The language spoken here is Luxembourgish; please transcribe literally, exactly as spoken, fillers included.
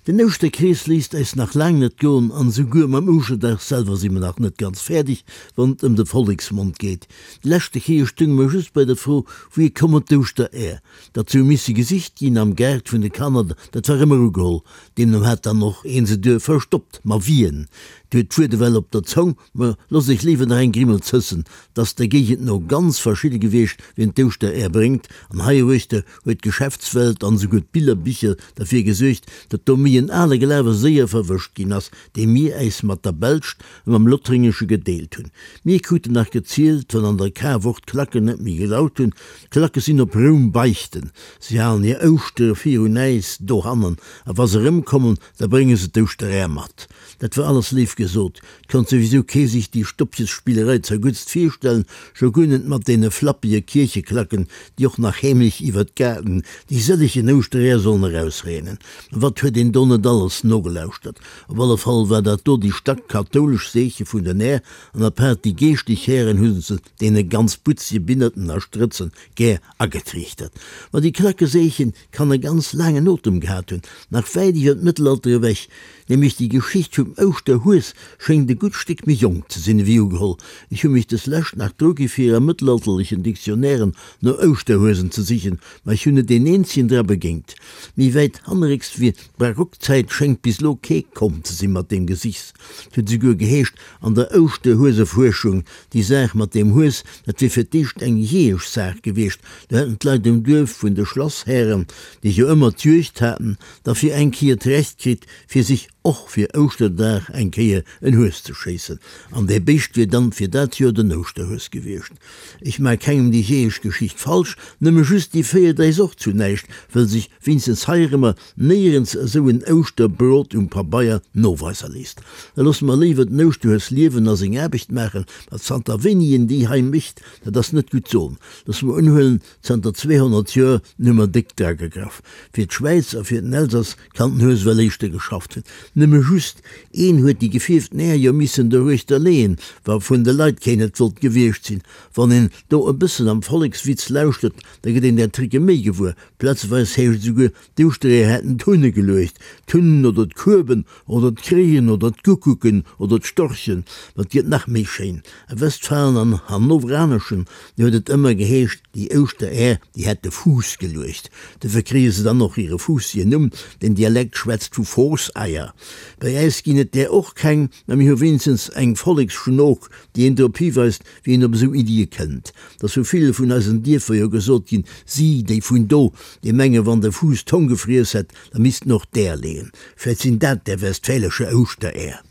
Den Ouschterkrees léisst äis nach laang net goen an esouguer mam Ouschterdag selwer si mer nach net ganz fäerdeg, wann et ëm de Volleksmond geet. Déi leschte Kéier stounge mer just bei der Fro, Wouhier kommen d'Ouschtereer? Datt se hu misse gesicht ginn am Gaart vun de Kanner, dat war ëmmer ugeholl. Deemno hat dann och een se duer verstoppt. Ma wien? Dir hutt d'Wuert ewell op der Zong, ma loosst iech léiwer nach eng Grimmel zëssen. 't ass der Géigend no ganz verschidde gewiescht, wien d'Ouschtereer bréngt. An heieruechter huet d'Geschäftswelt an esouguer d'Billerbicher derfir gesuergt, datt do méi en ale Glawe séier verwëscht ginn ass, dee mir äis mat der Belscht a mam Lothringesche gedeelt hunn. Mir kruten nach gezielt, wann an der Karwoch d'Klacken net méi gelaut hunn, d'Klacke sinn op Roum beichten, si halen hir Ouschtere virun äis dohannen, a wa se erëmkommen, da brénge se d'Ouschteräer mat. Dat war alles léif gesot, 't konnt souwisou kee sich déi Stoppchesspillerei zerguttst virstellen, scho guer net mat deene flappege Kiercheklacken, déi och nach heemlech iwwer d'Gaarten déi sëllegen Ouschtereeër sollen erausreenen. Ma wat huet een do net alles nogelauschtert! Op alle Fall war dat do déi stack-kathoulesch Seeche vun den Är, an apaart déi geeschtlech Hären hu se deene ganz butzege Binnerten a Strëtzen gär agetriichtert. Ma déi Klackeseechen kann e ganz laangen Otem gehat hunn, nach wäit iwwer d'Mëttelalter ewech. Nämlech déi Geschicht vum Ouschterhues schéngt e gutt Stéck méi jonk ze sinn ewéi ugeholl. Ech hu mech deslescht nach drugi fir a mëttelalterlechen Dictionnairen no Ouschterhuesen ze sichen, ma ech hunn net een eenzegen dra begéint. Méi wäit hannerrécks wéi d'Barockzäit schéngt bis elo kee komm ze sinn mat deem Gesichs. Et huet esouguer geheescht an der Ouschterhuesefuerschung, déi Saach mat deem Hues, dat wier fir d'éischt eng jeeësch Saach gewiescht. Do hätten d'Leit um Duerf vun de Schlasshären, déi jo ëmmer d'Juegd haten, da fir eng Kéier d'Recht kritt, fir sech och fir Ouschterdag eng Kéier en Hues ze schéissen. An dee Béischt wier dann fir dat Joer den Ouschterhues gewiescht. Ech maa kengem déi jeeësch Geschicht falsch, nëmme just, déi féiert äis och zu näischt, wëll sech wéinstens heirëmmer néierens esou en Ouschterbrot um Pabeier noweise léisst. Da loosse mer léiwer den Ouschterhues liewen a seng Aarbecht maachen, ma zanter wéini en déi hei mécht, dat ass net gutt soen. Loosse mer unhuelen, zanter zweehonnert Joer, hu mer déck dragegraff. Fir d'Schwäiz a fir den Elsass kann den Hues well éischter geschafft hunn. Nëmme just een huet déi gefierften Äer jo missen doruechter leeën, wa vun de Leit keen et wollt gewiescht sinn. Wann een do e bëssen am Vollekswitz lauschtert, da gëtt een där Tricke méi gewuer. Plazeweis heescht et esouguer, d'Ouschtereeër hätten d'Hunne geluecht. D'Hunnen oder d'Kueben oder d'Kréien oder d'Guckucken oder d'Storchen. Ma et gëtt nach méi schéin. A Westfalen an Hannoveraneschen, do huet et ëmmer geheescht, déi Ouschtereer, déi hätt de Fuuss geluecht. Dofir kréie se dann och hire fuussegen Numm, den Dialekt schwätzt vu Foosseier. Bei äis ginn et där och keng, mä mir hu wéinstens eng Volleksschnook, déi een drop hiweist, wéi een op esou Iddie kënnt. 't ass vu ville vun eisen Dierfer jo gesot ginn, si, déi vun do, déi menge wann de Fuuss d'Hong gefriess hätt, da misst en och d'Äer leeën. Vläicht sinn dat där westfälesche Ouschteräer.